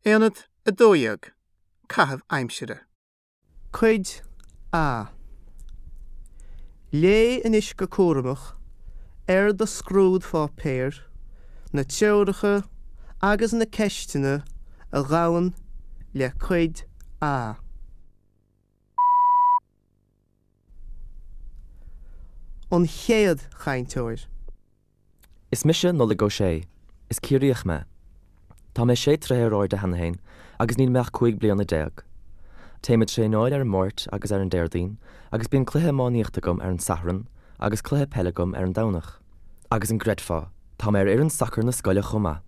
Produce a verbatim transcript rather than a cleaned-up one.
Aonad a dó dhéag, Caitheamh aimsire. Cuid A. Léigh anois go cúramach ar do scrúdpháipéar na treoracha agus na ceisteanna a ghabhann le Cuid A. An chéad chainteoir. Is mise Nollaig Ó Sé. Is Ciarraíoch mé. Tá mé sé troithe ar airde cheana féin agus níl mé ach cúig bliana déag. Téim ag traenáil ar an Máirt agus ar an Déardaoin agus bíonn cluiche iománaíochta agam ar an Satharn agus cluiche peile agam ar an Domhnach. Agus an gcreidfeá, tá mé ar fhoireann sacair na scoile chomh maith.